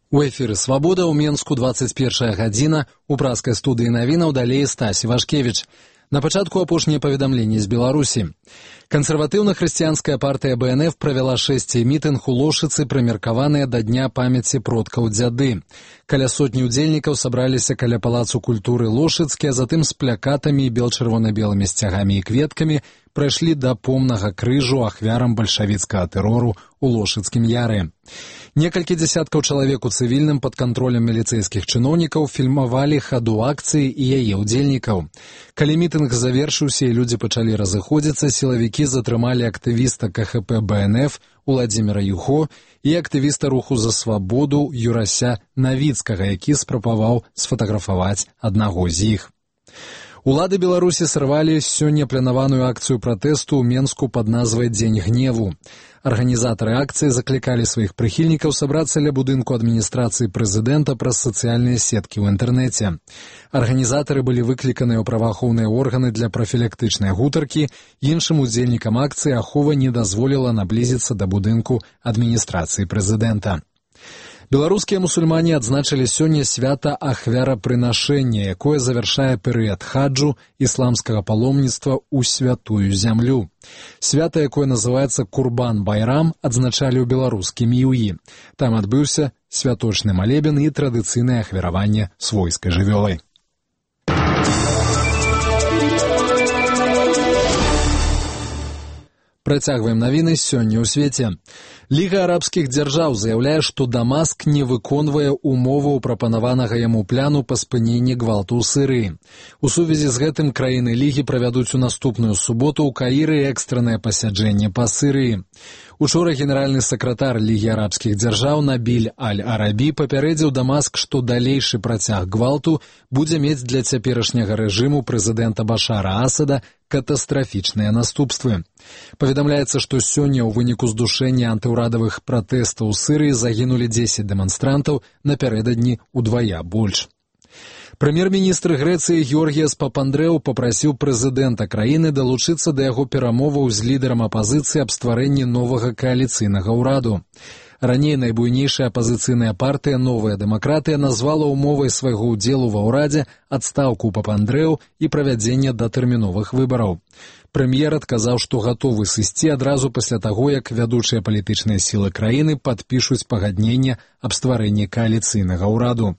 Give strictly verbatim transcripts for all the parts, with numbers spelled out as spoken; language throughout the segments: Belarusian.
У эфіры «Свабода» ў Менску двадцать першая гадзіна, у праскай студыі навінаў далей Стась Івашкевіч. На пачатку апошнія паведамленні з Беларусі. Кансерватыўна-хрысціянская партыя бэ эн эф правяла шэсці мітынг у Лошыцы, прымеркаваныя да Дня памяці продкаў дзяды. Каля сотні ўдзельнікаў сабраліся каля палацу культуры Лошыцкі, а затым з плякатамі і бел-чырвона-белымі сцягамі і кветкамі прайшлі да помнага крыжу ахвярам бальшавіцкага тэрору у Лошыцкім яры. Некалькі дзясяткаў чалавек у цывільным пад кантролем міліцэйскіх чыноўнікаў фільмавалі хаду акцыі і яе ўдзельнікаў. Калі мітынг завершыўся і людзі пачалі разыходзіцца, сілавікі затрымалі актывіста ка ха пэ бэ эн эф Уладзіміра Юхо і актывіста руху за свабоду Юрася Навіцкага, які спрабаваў сфатаграфаваць аднаго з іх. Улады Беларусі сарвалі сёння планаваную акцыю пратэсту ў Менску пад назвай «Дзень гневу». Арганізатары акцыі заклікалі сваіх прыхільнікаў сабрацца ля будынку адміністрацыі прэзідэнта праз сацыяльныя сеткі ў інтэрнэце. Арганізатары былі выкліканыя ў праваахоўныя органы для прафілактычнай гутаркі, іншым удзельнікам акцыі ахова не дазволіла наблізіцца да будынку адміністрацыі прэзідэнта. Беларускія мусульмане адзначылі сёння свята ахвярапрынашэння, якое завяршае перыяд хаджу ісламскага паломніцтва ў святую зямлю. Свята, якое называецца Курбан-Байрам, адзначалі ў беларускім ЮІ. Там адбыўся святочны малебен і традыцыйнае ахвяраванне свойскай жывёлай. Працягваем навіны сёння ў свеце. Ліга арабскіх дзяржаў заяўляе, што Дамаск не выконвае умоваў прапанаванага яму пляну па спыненні гвалту ў Сірыі. У сувязі з гэтым краіны Лігі правядуць у наступную суботу ў Каіры экстранае пасяджэнне па Сірыі. Учора генеральны сакратар Лігі арабскіх дзяржаў Набіль Аль-Арабі папярэдзіў Дамаск, што далейшы працяг гвалту будзе мець для цяперашняга рэжыму прэзідэнта Башара Асада катастрафічныя наступствы. Паведамляецца, што сёння ў выніку здушэння антыўрадавых пратэстаў у Сірыі загінулі дзесяць дэманстрантаў, напярэдадні ўдвая больш. Прэм'ер-міністр Грэцыі Георгіяс Папандрэў папрасіў прэзідэнта краіны далучыцца да яго перамоваў з лідарам апазіцыі аб стварэнні новага кааліцыйнага ўраду. Раней найбуйнейшая апазіцыйная партыя «Новая дэмакратыя» назвала ўмовай свайго ўдзелу ва ўрадзе адстаўку Папандрэў і правядзенне датэрміновых выбараў. Прэм'ер адказаў, што гатовы сысці адразу пасля таго, як вядучыя палітычныя сілы краіны падпішуць пагадненне аб стварэнні кааліцыйнага ўраду.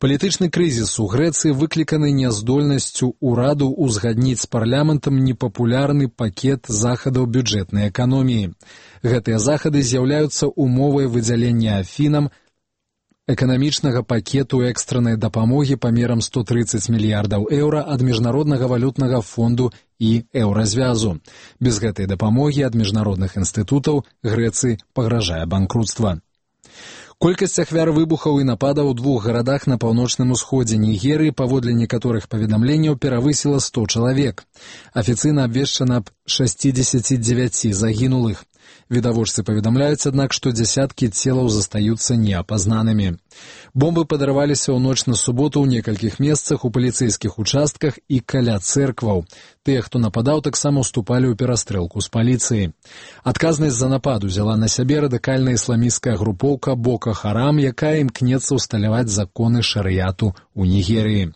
Палітычны крызіс у Грэцыі выкліканы няздольнасцю ўраду ўзгадніць з парламентам непапулярны пакет захадаў бюджэтнай эканоміі. Гэтыя захады з'яўляюцца умовай выдзялення Афінам эканамічнага пакету экстранай дапамогі памерам сто трыццаць мільярдаў еўра ад Міжнароднага валютнага фонду і еўразвязу. Без гэтай дапамогі ад міжнародных інстытутаў Грэцыі пагражае банкруцтва. Колькасць ахвяр выбухаў і нападаў у двух гарадах на паўночным усходзе Нігерыі паводле некаторых паведамленняў перавысіла сто чалавек. Афіцыйна абвешчана аб шасцідзесяці дзевяці загінулых. Відавочцы паведамляюць, аднак, што дзясяткі целаў застаюцца неапазнанымі. Бомбы падарваліся ў ноч на суботу ў некалькіх месцах, у паліцэйскіх участках і каля цэркваў. Тыя, хто нападаў, таксама ўступалі ў перастрэлку з паліцыяй. Адказнасць за напад узяла на сябе радыкальная ісламісцкая групоўка Бока Харам, якая імкнецца ўсталяваць законы шарыяту ў Нігерыі.